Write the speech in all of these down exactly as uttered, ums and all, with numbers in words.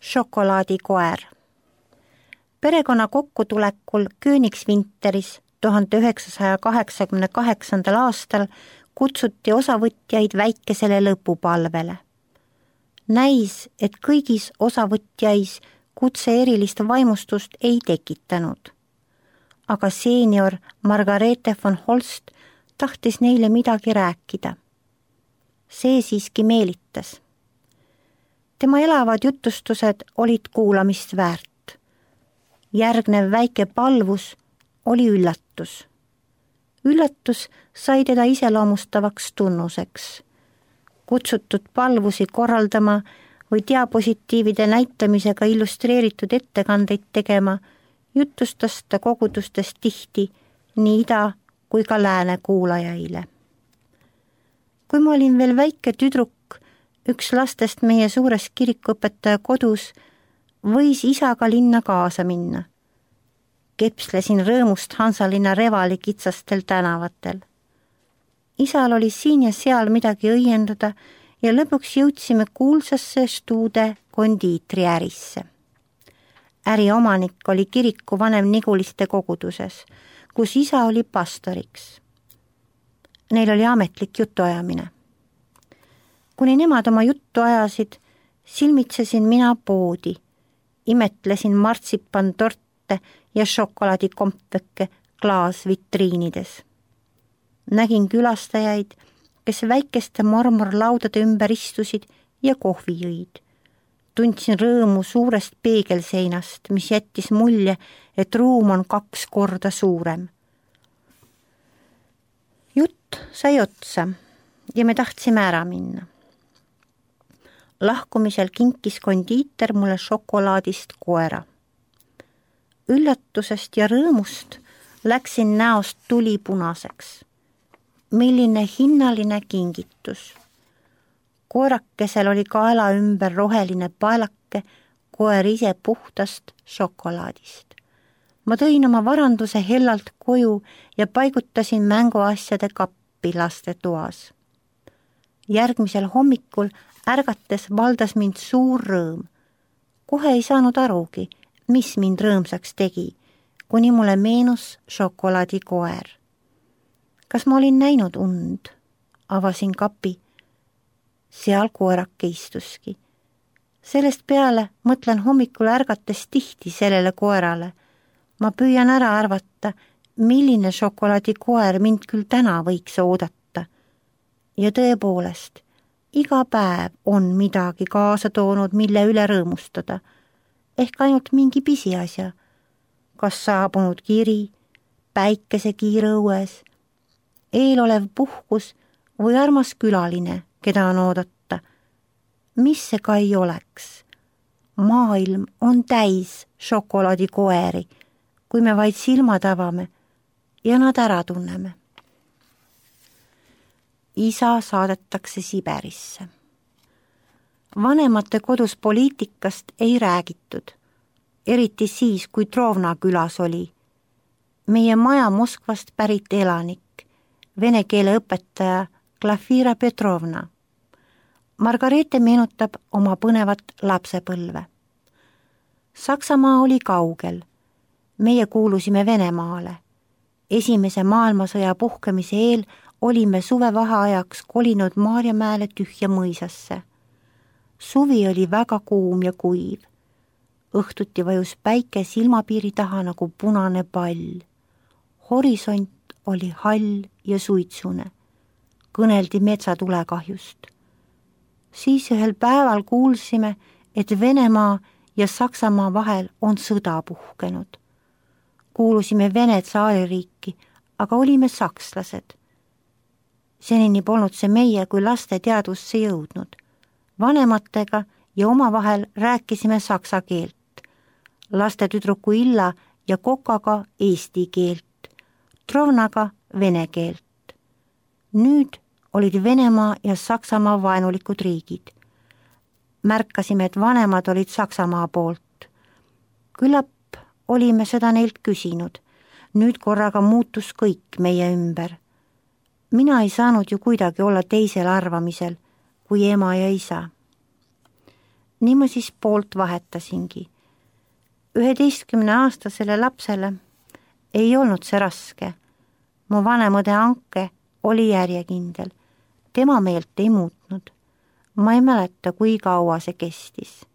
šokolaadikoer. Perekonna kokkutulekul Königswinteris tuhande üheksasaja kaheksakümne kaheksandal aastal kutsuti osavõtjaid väikesele lõpupalvele. Näis, et kõigis osavõtjais kutse erilist vaimustust ei tekitanud. Aga seenior Margarete von Holst tahtis neile midagi rääkida. See siiski meelitas. Tema elavad jutustused olid kuulamist väärt. Järgnev väike palvus oli üllatus. Üllatus sai teda iseloomustavaks tunnuseks. Kutsutud palvusi korraldama või diapositiivide näitamisega illustreeritud ettekandeid tegema, jutustas ta kogudustes tihti nii ida kui ka lääne kuulajaile. Kui ma olin veel väike tüdruk, üks lastest meie suures kirikuõpetaja kodus, võis isaga linna kaasa minna. Kepslesin rõõmust Hansalinna Revali kitsastel tänavatel. Isal oli siin ja seal midagi õiendada ja lõpuks jõudsime kuulsasse Stuude kondiitriärisse. Äriomanik oli kiriku vanem Niguliste koguduses, kus isa oli pastoriks. Neil oli ametlik jutuajamine. Kuni nemad oma juttu ajasid, silmitsesin mina poodi, imetlesin martsipantorte ja šokolaadikompveke klaasvitriinides. Nägin külastajaid, kes väikeste marmorlaudade ümber istusid ja kohvi jõid. Tundsin rõõmu suurest peegelseinast, mis jättis mulje, et ruum on kaks korda suurem. Jutt sai otsa ja me tahtsime ära minna. Lahkumisel kinkis kondiiter mulle šokolaadist koera. Üllatusest ja rõõmust läksin näost tuli punaseks. Milline hinnaline kingitus. Koerakesel oli kaela ümber roheline paelake, koer ise puhtast šokolaadist. Ma tõin oma varanduse hellalt koju ja paigutasin mänguasjade kappi laste toas. Järgmisel hommikul ärgates valdas mind suur rõõm. Kohe ei saanud arugi, mis mind rõõmsaks tegi, kuni mulle meenus šokolaadikoer. Kas ma olin näinud und? Avasin kapi. Seal koerake istuski. Sellest peale mõtlen hommikul ärgates tihti sellele koerale. Ma püüan ära arvata, milline šokolaadikoer mind küll täna võiks oodata. Ja tõepoolest, iga päev on midagi kaasa toonud, mille üle rõõmustada. Ehk ainult mingi pisiasja. Kas saabunud kiri, päikese kiire õues, eelolev puhkus või armas külaline, keda on oodata. Mis see ka ei oleks? Maailm on täis šokolaadikoeri, kui me vaid silmad avame ja nad ära tunneme. Isa saadetakse Siberisse. Vanemate kodus poliitikast ei räägitud, eriti siis, kui Trovna külas oli. Meie maja Moskvast pärit elanik, vene keele õpetaja Glafira Petrovna. Margarete meenutab oma põnevat lapsepõlve. Saksamaa oli kaugel. Meie kuulusime Venemaale. Esimese maailmasõja puhkemise eel olime suvevaheajaks kolinud Maarjamäele tühja mõisasse. Suvi oli väga kuum ja kuiv. Õhtuti vajus päike silmapiiri taha nagu punane pall. Horisont oli hall ja suitsune. Kõneldi metsatulekahjust. Siis ühel päeval kuulsime, et Venemaa ja Saksamaa vahel on sõda puhkenud. Kuulusime Vene tsaaririiki, aga olime sakslased. Senini polnud see meie kui laste teadvusse jõudnud. Vanematega ja omavahel rääkisime saksa keelt. Laste tüdruku Illa ja Kokaga eesti keelt. Trovnaga vene keelt. Nüüd olid Venemaa ja Saksamaa vaenulikud riigid. Märkasime, et vanemad olid Saksamaa poolt. Küllap olime seda neilt küsinud. Nüüd korraga muutus kõik meie ümber. Mina ei saanud ju kuidagi olla teisel arvamisel kui ema ja isa. nii ma siis poolt vahetasingi. üheteistkümne aastasele lapsele ei olnud see raske. Mu vanemõde Anke oli järjekindel. Tema meelt ei muutnud. Ma ei mäleta, kui kaua see kestis.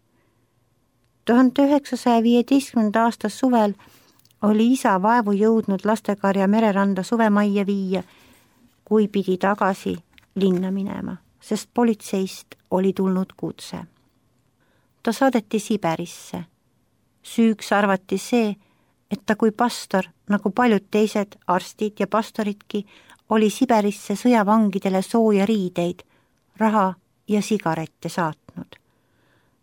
tuhande üheksasaja viieteistkümnenda aasta suvel oli isa vaevu jõudnud lastekarja Mereranda suvemajja viia, kui pidi tagasi linna minema, sest politseist oli tulnud kutse. Ta saadeti Siberisse. Süüks arvati see, et ta kui pastor, nagu paljud teised arstid ja pastoridki, oli Siberisse sõjavangidele sooja riideid, raha ja sigarette saatnud.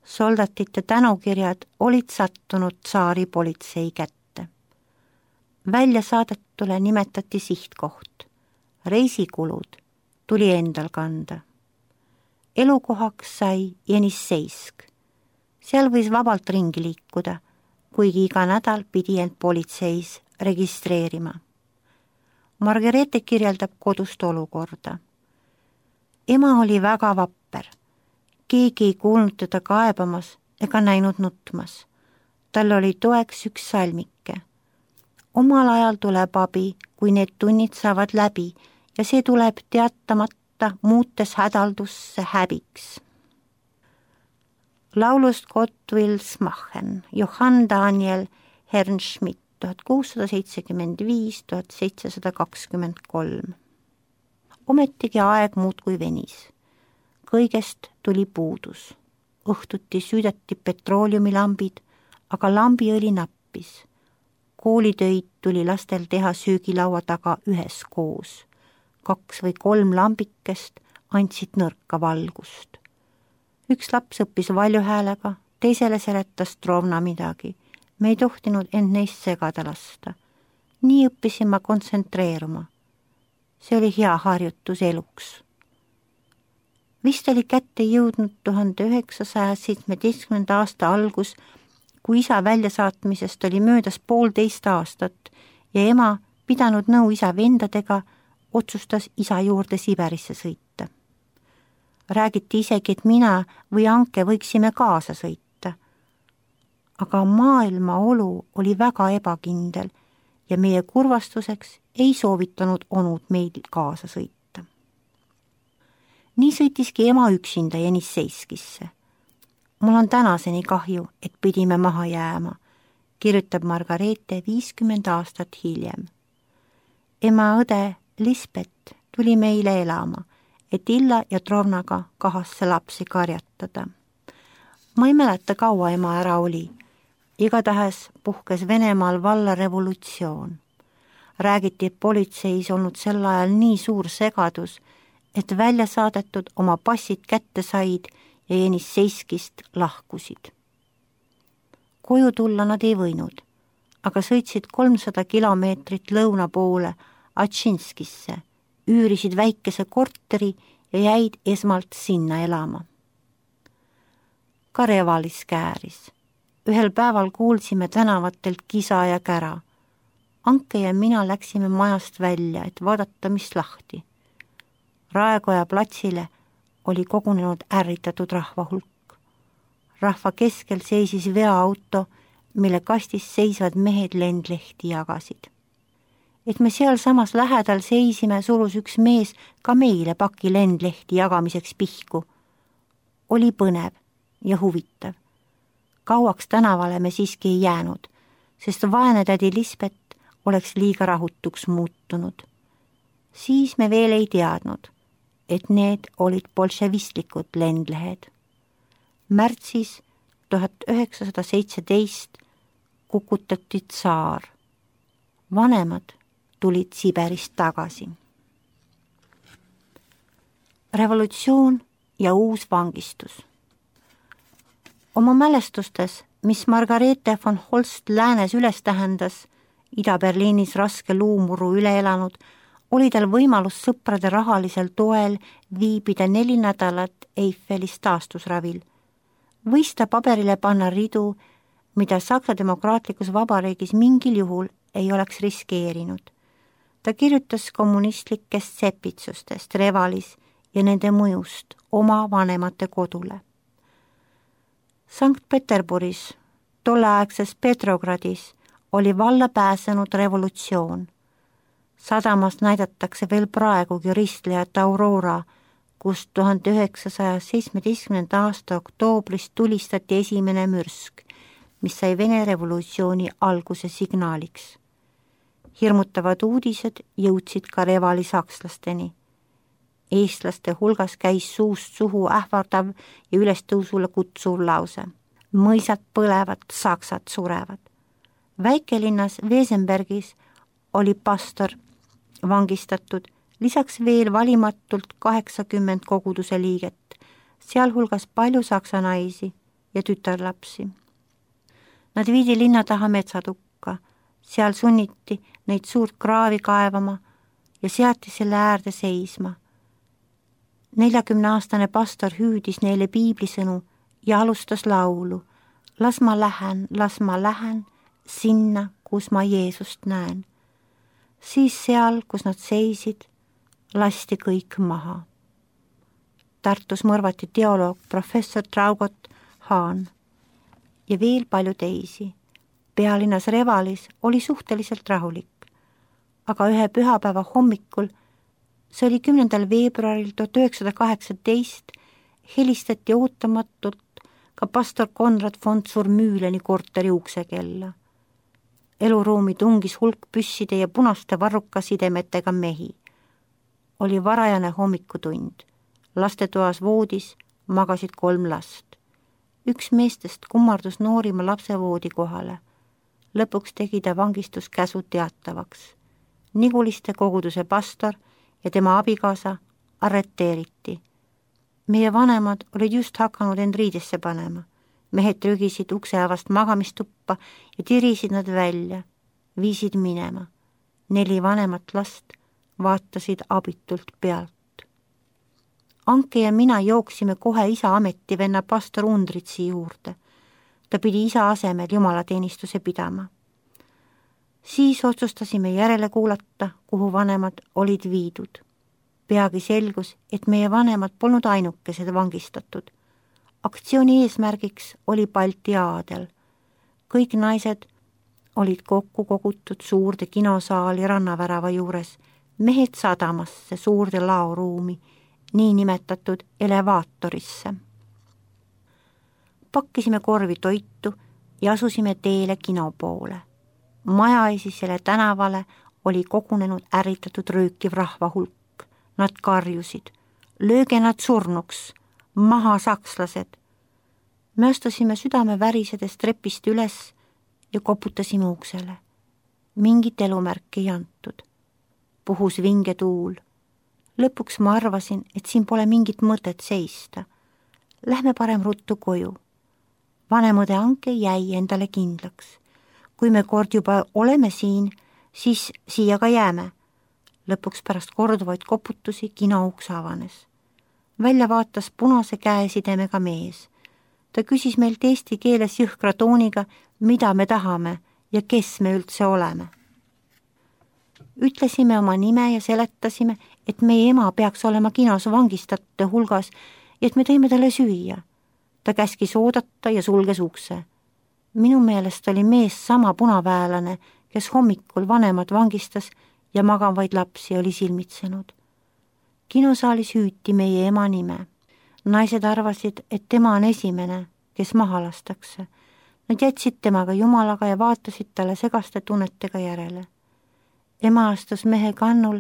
Soldatite tänukirjad olid sattunud tsaari politsei kätte. Välja saadetule nimetati sihtkoht. Reisikulud tuli endal kanda. Elukohaks sai Jenisseisk. Seal võis vabalt ringi liikuda, kuigi iga nädal pidi end politseis registreerima. Margareete kirjeldab kodust olukorda. Ema oli väga vapper. Keegi ei kuulnud teda kaebamas ega näinud nutmas. Tal oli toeks üks salmike. Omal ajal tuleb abi, kui need tunnid saavad läbi ja see tuleb teatamata, muutes hädaldusse häbiks. Laulust Gott wills machen, Johann Daniel Hernschmidt, tuhat kuussada seitsekümmend viis tuhat seitsesada kakskümmend kolm. Ometigi aeg muudkui venis. Kõigest tuli puudus. Õhtuti süüdati petrooliumilambid, aga lambiõli nappis. Koolitöid tuli lastel teha söögilaua taga ühes koos. Kaks või kolm lambikest andsid nõrka valgust. Üks laps õppis valjuhäälega, teisele seletas Trovna midagi. Me ei tohtinud end neist segada lasta. Nii õppisin ma kontsentreeruma. See oli hea harjutus eluks. Vist oli kätte jõudnud tuhande üheksasaja seitsmeteistkümnenda aasta algus, kui isa väljasaatmisest oli möödas poolteist aastat ja ema, pidanud nõu isa vendadega, otsustas isa juurde Siberisse sõita. Räägiti isegi, et mina või Anke võiksime kaasa sõita. Aga maailma olu oli väga ebakindel ja meie kurvastuseks ei soovitanud onud meil kaasa sõita. Nii sõitiski ema üksinda Jenisseiskisse. Mul on tänaseni kahju, et pidime maha jääma, kirjutab Margareete viiskümmend aastat hiljem. Ema õde Lisbeth tuli meile elama, et Illa ja Trovnaga kahasse lapsi karjatada. Ma ei mäleta, kaua ema ära oli. Igatahes puhkes Venemaal valla revolutsioon. Räägiti, et politseis olnud sel ajal nii suur segadus, et välja saadetud oma passid kätte said ja Jenisseiskist lahkusid. Koju tulla nad ei võinud, aga sõitsid kolmsada kilomeetrit lõuna poole Atšinskisse, üürisid väikese korteri ja jäid esmalt sinna elama. Ka Revalis kääris. Ühel päeval kuulsime tänavatelt kisa ja kära. Anke ja mina läksime majast välja, et vaadata, mis lahti. Raekoja platsile oli kogunenud ärritatud rahva hulk. Rahva keskel seisis veoauto, mille kastis seisvad mehed lendlehti jagasid. Et me seal samas lähedal seisime, surus üks mees ka meile paki lendlehti jagamiseks pihku. Oli põnev ja huvitav. Kauaks tänavale me siiski ei jäänud, sest vaene tädi Lisbeth oleks liiga rahutuks muutunud. Siis me veel ei teadnud, et need olid bolševistlikud lendlehed. Märtsis tuhat üheksasada seitseteist kukutati tsaar. Vanemad tulid Siberist tagasi. Revolutsioon ja uus vangistus. Oma mälestustes, mis Margareete von Holst läänes üles tähendas, Ida-Berliinis raske luumuru üle elanud, oli tal võimalus sõprade rahalisel toel viibida neli nädalat Eiffelis taastusravil. Võis ta paberile panna ridu, mida Saksa demokraatlikus vabariigis mingil juhul ei oleks riskeerinud. Ta kirjutas kommunistlikest sepitsustest Revalis ja nende mõjust oma vanemate kodule. Sankt-Peterburis, tolleaegses Petrogradis, oli valla pääsenud revolutsioon. Sadamas näidatakse veel praegugi ristlejat Aurora, kus tuhande üheksasaja seitsmeteistkümnenda aasta oktoobris tulistati esimene mürsk, mis sai Vene revolutsiooni alguse signaaliks. Hirmutavad uudised jõudsid ka Revali sakslasteni. Eestlaste hulgas käis suust suhu ähvardav ja ülestõusule kutsuv lause. Mõisad põlevad, saksad surevad. Väikelinnas Wesenbergis oli pastor vangistatud, lisaks veel valimatult kaheksakümmend koguduse liiget, sealhulgas palju saksa naisi ja tütarlapsi. Nad viidi linna taha metsatukka, seal sunniti neid suurt kraavi kaevama ja seati selle äärde seisma. neljakümneaastane pastor hüüdis neile piiblisõnu ja alustas laulu. Las ma lähen, las ma lähen sinna, kus ma Jeesust näen. Siis seal, kus nad seisid, lasti kõik maha. Tartus mõrvati teoloog professor Traugot Haan ja veel palju teisi. Pealinnas Revalis oli suhteliselt rahulik, aga ühe pühapäeva hommikul, see oli kümnendal veebruaril tuhat üheksasada kaheksateist, helistati ootamatult ka pastor Konrad von Surmüüleni korteri uksekella. Eluruumi tungis hulk püsside ja punaste varrukasidemetega mehi. Oli varajane hommikutund. Lastetoas voodis magasid kolm last. Üks meestest kummardus noorima lapse voodi kohale. Lõpuks tegi ta vangistuskäsu teatavaks. Niguliste koguduse pastor ja tema abikaasa arreteeriti. Meie vanemad olid just hakanud end riidesse panema. Mehed trügisid ukseavast magamistuppa ja tirisid nad välja, viisid minema. Neli vanemat last vaatasid abitult pealt. Anke ja mina jooksime kohe isa ametivenna pastor Undritsi juurde. Ta pidi isa asemel jumalateenistuse pidama. Siis otsustasime järele kuulata, kuhu vanemad olid viidud. Peagi selgus, et meie vanemad polnud ainukesed vangistatud. Aktsiooni eesmärgiks oli Balti aadel. Kõik naised olid kokku kogutud suurde kinosaali rannavärava juures, mehed sadamasse suurde laoruumi, nii nimetatud elevaatorisse. Pakkisime korvi toitu ja asusime teele kino poole. Majaesisele tänavale oli kogunenud ärritatud röökiv rahvahulk. Nad karjusid, lööge nad surnuks, maha sakslased. Me astusime südame värisedes trepist üles ja koputasime uksele. Mingit elumärki ei antud. Puhus vinge tuul. Lõpuks ma arvasin, et siin pole mingit mõtet seista. Lähme parem ruttu koju. Vanemõde Anke jäi endale kindlaks. Kui me kord juba oleme siin, siis siia ka jääme. Lõpuks pärast korduvaid koputusi kino uks avanes. Välja vaatas punase käesidemega mees. Ta küsis meilt eesti keeles jõhkra tooniga, mida me tahame ja kes me üldse oleme. Ütlesime oma nime ja seletasime, et meie ema peaks olema kinos vangistatute hulgas ja et me tõime talle süüa. Ta käskis oodata ja sulges ukse. Minu meelest oli mees sama punaväelane, kes hommikul vanemad vangistas ja magavaid lapsi oli silmitsenud. Kinosaalis hüüti meie ema nime. Naised arvasid, et tema on esimene, kes maha lastakse. Nad jätsid temaga jumalaga ja vaatasid talle segaste tunnetega järele. Ema astus mehe kannul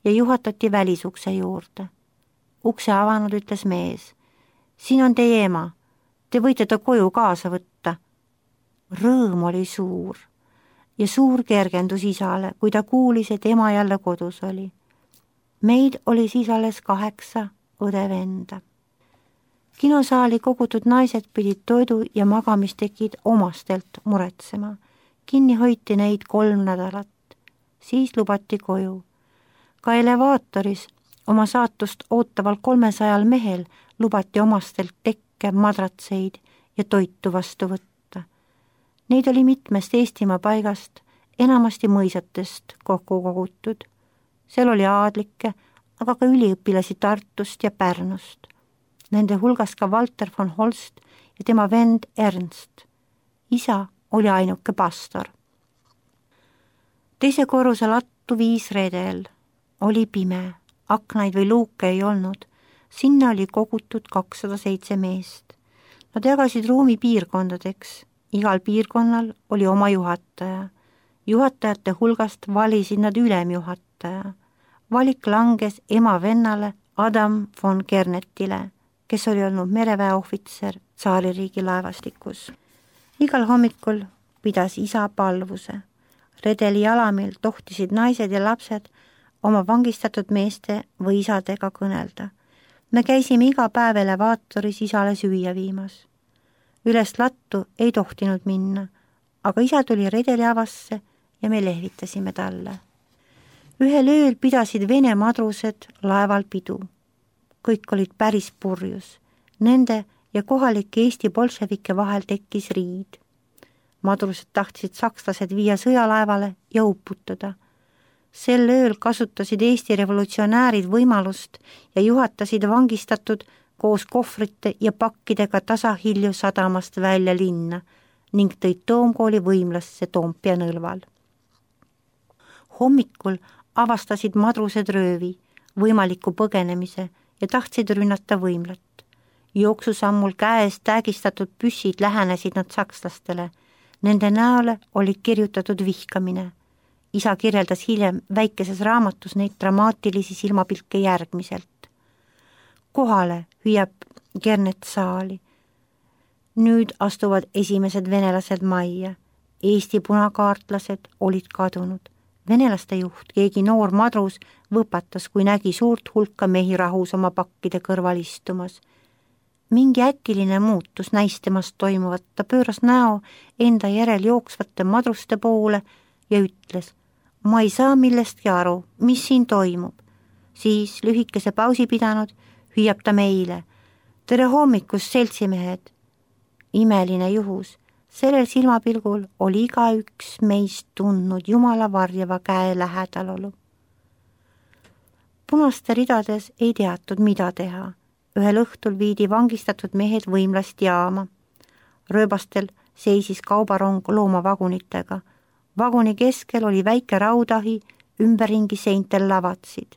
ja juhatati välisukse juurde. Ukse avanud ütles mees. Siin on teie ema. Te võite ta koju kaasa võtta. Rõõm oli suur ja suur kergendus isale, kui ta kuulis, et ema jälle kodus oli. Meid oli siis alles kaheksa õde-venda. Kinosaali kogutud naised pidid toidu ja magamistekid omastelt muretsema. Kinni hoiti neid kolm nädalat. Siis lubati koju. Ka elevaatoris oma saatust ootaval kolmesajal mehel lubati omastelt tekke, madratseid ja toitu vastu võtta. Neid oli mitmest Eestimaa paigast, enamasti mõisatest kokku kogutud. Seal oli aadlikke, aga ka üliõpilasi Tartust ja Pärnust. Nende hulgas ka Walter von Holst ja tema vend Ernst. Isa oli ainuke pastor. Teise korruse lattu viis redel. Oli pime, aknaid või luuke ei olnud. Sinna oli kogutud kakssada seitse meest. Nad jagasid ruumi piirkondadeks. Igal piirkonnal oli oma juhataja. Juhatajate hulgast valisid nad ülemjuhataja. Valik langes ema vennale Adam von Kernetile, kes oli olnud mereväeohvitser tsaaririigi laevastikus. Igal hommikul pidas isa palvuse. Redeli jalamil tohtisid naised ja lapsed oma vangistatud meeste või isadega kõnelda. Me käisime iga päev elevaatoris isale süüa viimas. Üles lattu ei tohtinud minna, aga isa tuli redeli avasse ja me lehvitasime talle. Ühel ööl pidasid Vene madrused laeval pidu. Kõik olid päris purjus. Nende ja kohalike Eesti bolševike vahel tekkis riid. Madrused tahtsid sakslased viia sõjalaevale ja uputada. Sel ööl kasutasid Eesti revolutsionäärid võimalust ja juhatasid vangistatud koos kohvrite ja pakkidega tasahilju sadamast välja linna ning tõid Toomkooli võimlasse Toompea nõlval. Hommikul avastasid madrused röövi, võimaliku põgenemise ja tahtsid rünnata võimlat. Jooksusammul käes täägistatud püssid lähenesid nad sakslastele. Nende näole oli kirjutatud vihkamine. Isa kirjeldas hiljem väikeses raamatus neid dramaatilisi silmapilke järgmiselt. Kohale hüüab Kernet saali. Nüüd astuvad esimesed venelased majja. Eesti punakaartlased olid kadunud. Venelaste juht, keegi noor madrus, võpatas, kui nägi suurt hulka mehi rahus oma pakkide kõrval istumas. Mingi äkiline muutus näis temast toimuvat, ta pööras näo enda järel jooksvate madruste poole ja ütles, ma ei saa millestki aru, mis siin toimub. Siis lühikese pausi pidanud hüüab ta meile, tere hommikust, seltsimehed. Imeline juhus, sellel silmapilgul oli igaüks meist tundnud Jumala varjava käe lähedalolu. Punaste ridades ei teatud, mida teha. Ühel õhtul viidi vangistatud mehed võimlast jaama. Rööbastel seisis kaubarong loomavagunitega. Vaguni keskel oli väike raudahi, ümberringi seintel lavatsid.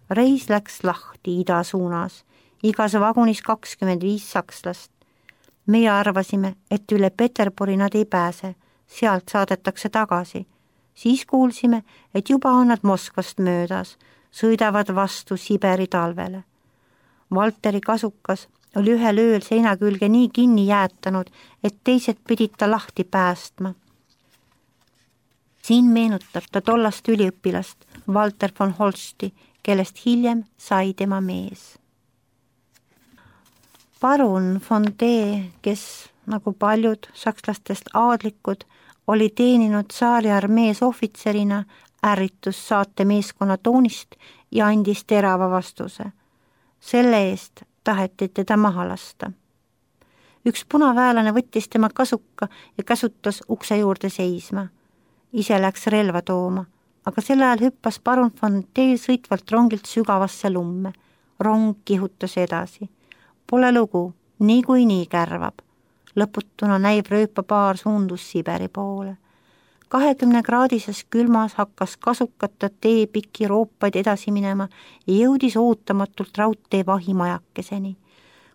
Reis läks lahti ida suunas, igas vagunis kakskümmend viis sakslast. Meie arvasime, et üle Peterburi nad ei pääse, sealt saadetakse tagasi. Siis kuulsime, et juba on nad Moskvast möödas, sõidavad vastu Siberi talvele. Valteri kasukas oli ühel ööl seina külge nii kinni jäätanud, et teised pidid ta lahti päästma. Siin meenutab ta tollast üliõpilast, Walter von Holsti, kellest hiljem sai tema mees. Parun von D, kes, nagu paljud sakslastest aadlikud, oli teeninud saari armees ohvitserina, ärritus saate meeskonna toonist ja andis terava vastuse. Selle eest taheti teda maha lasta. Üks punaväelane võttis tema kasuka ja käsutas ukse juurde seisma. Ise läks relva tooma, aga sel ajal hüppas parun von D sõitvalt rongilt sügavasse lumme. Rong kihutas edasi. Pole lugu, nii kui nii kärvab. Lõputuna näib rööpapaar suundus Siberi poole. kahekümne kraadises külmas hakkas kasukata tee pikki roopaid edasi minema ja jõudis ootamatult raudtee vahimajakeseni.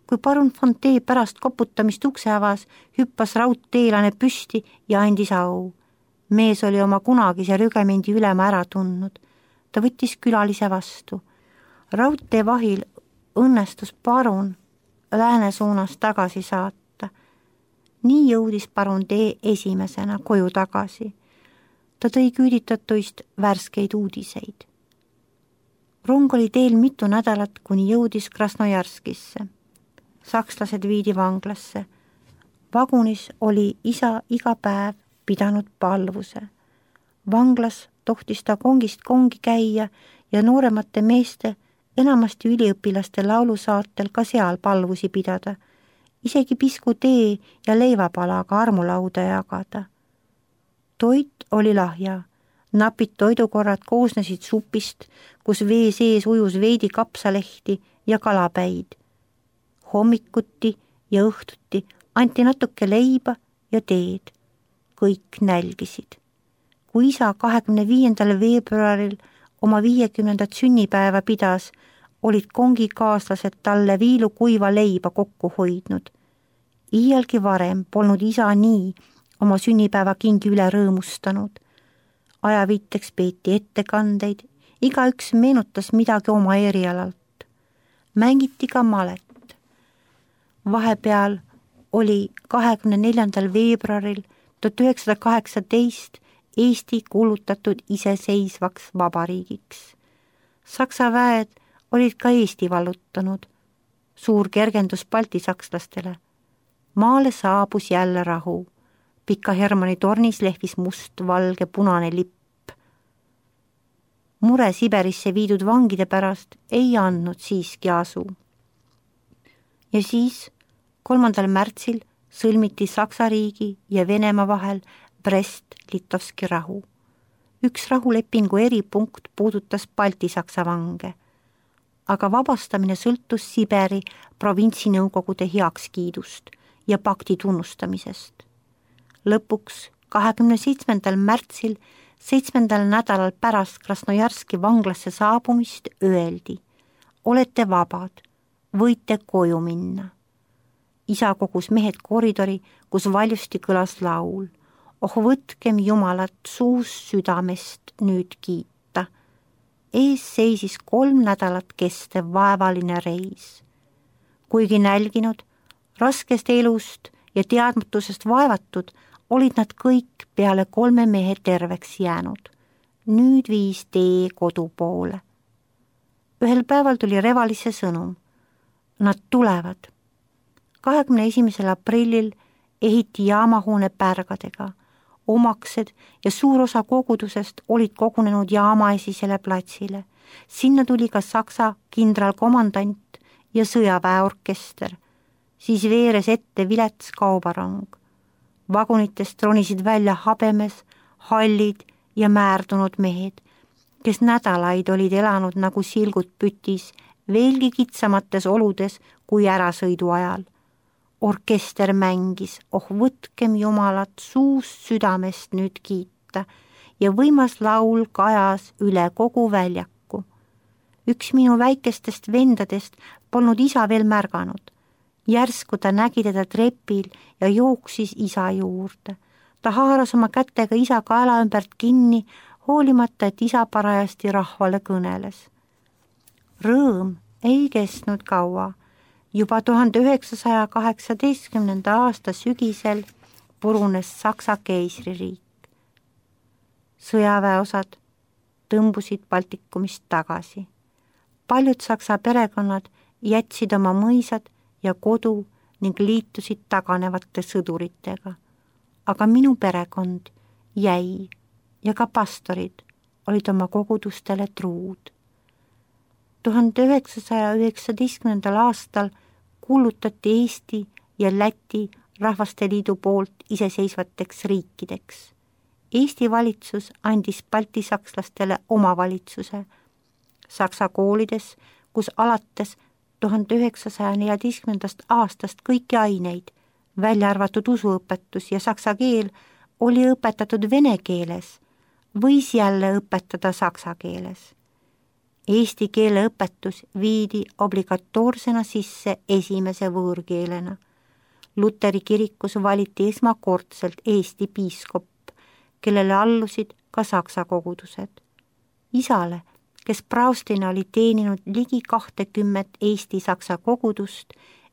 Kui parun von D pärast koputamist ukse avas, hüppas raudteelane püsti ja andis au. Mees oli oma kunagise rügemendi ülema ära tundnud. Ta võttis külalise vastu. Raudtee vahil õnnestus parun lääne suunas tagasi saata. Nii jõudis parun D esimesena koju tagasi. Ta tõi küüditatuist värskeid uudiseid. Rong oli teel mitu nädalat, kuni jõudis Krasnojarskisse. Sakslased viidi vanglasse. Vagunis oli isa iga päev pidanud palvuse. Vanglas tohtis ta kongist kongi käia ja nooremate meeste, enamasti üliõpilaste laulusaatel ka seal palvusi pidada, isegi pisku tee ja leivapalaga armulauda jagada. Toit oli lahja, napid toidukorrad koosnesid supist, kus vee sees ujus veidi kapsalehti ja kalapäid. Hommikuti ja õhtuti anti natuke leiba ja teed. Kõik nälgisid. Kui isa kahekümne viiendal veebruaril oma viiekümnendat sünnipäeva pidas, olid kongikaaslased talle viilu kuiva leiba kokku hoidnud. Iialgi varem polnud isa nii oma sünnipäeva kingi üle rõõmustanud. Ajaviiteks peeti ettekandeid, igaüks meenutas midagi oma erialalt. Mängiti ka malet. Vahepeal oli kahekümne neljandal veebruaril tuhat üheksasada kaheksateist Eesti kuulutatud iseseisvaks vabariigiks. Saksa väed olid ka Eesti vallutanud. Suur kergendus baltisakslastele. Maale saabus jälle rahu. Pika Hermanni tornis lehvis must, valge, punane lipp. Mure Siberisse viidud vangide pärast ei andnud siiski asu. Ja siis kolmandal märtsil sõlmiti Saksa riigi ja Venemaa vahel Brest-Litovski rahu. Üks rahulepingu eripunkt puudutas Balti-Saksa vange, aga vabastamine sõltus Siberi provintsinõukogude heakskiidust ja pakti tunnustamisest. Lõpuks kahekümne seitsmendal märtsil, seitsmendal nädalal pärast Krasnojarski vanglasse saabumist öeldi: olete vabad, võite koju minna. Isa kogus mehed koridori, kus valjusti kõlas laul: oh võtkem Jumalat suust südamest nüüd kiita. Ees seisis kolm nädalat kestev vaevaline reis. Kuigi nälginud, raskest elust ja teadmatusest vaevatud, olid nad kõik peale kolme mehe terveks jäänud. Nüüd viis tee kodu poole. Ühel päeval tuli Revalisse sõnum. Nad tulevad. kahekümne esimesel aprillil ehiti jaamahoone pärgadega. Omaksed ja suur osa kogudusest olid kogunenud jaamaesisele platsile. Sinna tuli ka Saksa kindralkomandant ja sõjaväeorkester. Siis veeres ette vilets kaubarong. Vagunitest ronisid välja habemes, hallid ja määrdunud mehed, kes nädalaid olid elanud nagu silgud pütis, veelgi kitsamates oludes kui ärasõidu ajal. Orkester mängis, oh võtkem Jumalat suust südamest nüüd kiita, ja võimas laul kajas üle kogu väljaku. Üks minu väikestest vendadest polnud isa veel märganud. Järsku ta nägi teda trepil ja jooksis isa juurde. Ta haaras oma kätega isa kaela ümbert kinni, hoolimata, et isa parajasti rahvale kõneles. Rõõm ei kestnud kaua. Juba tuhande üheksasaja kaheksateistkümnenda aasta sügisel purunes Saksa keisririik. Sõjaväeosad tõmbusid Baltikumist tagasi. Paljud Saksa perekonnad jätsid oma mõisad ja kodu ning liitusid taganevate sõduritega. Aga minu perekond jäi ja ka pastorid olid oma kogudustele truud. tuhande üheksasaja üheksateistkümnendal aastal kuulutati Eesti ja Läti Rahvaste Liidu poolt iseseisvateks riikideks. Eesti valitsus andis baltisakslastele omavalitsuse. Saksa koolides, kus alates tuhande üheksasaja neljateistkümnendast aastast kõiki aineid, välja arvatud usuõpetus ja saksa keel, oli õpetatud vene keeles, võis jälle õpetada saksa keeles. Eesti keele õpetus viidi obligatoorsena sisse esimese võõrkeelena. Luteri kirikus valiti esmakordselt Eesti piiskop, kellele allusid ka saksa kogudused. Isale, kes praostina oli teeninud ligi kahtekümmet Eesti-saksa kogudust,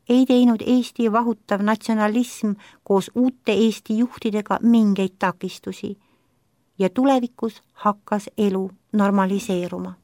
ei teinud Eesti vahutav natsionalism koos uute Eesti juhtidega mingeid takistusi ja tulevikus hakkas elu normaliseeruma.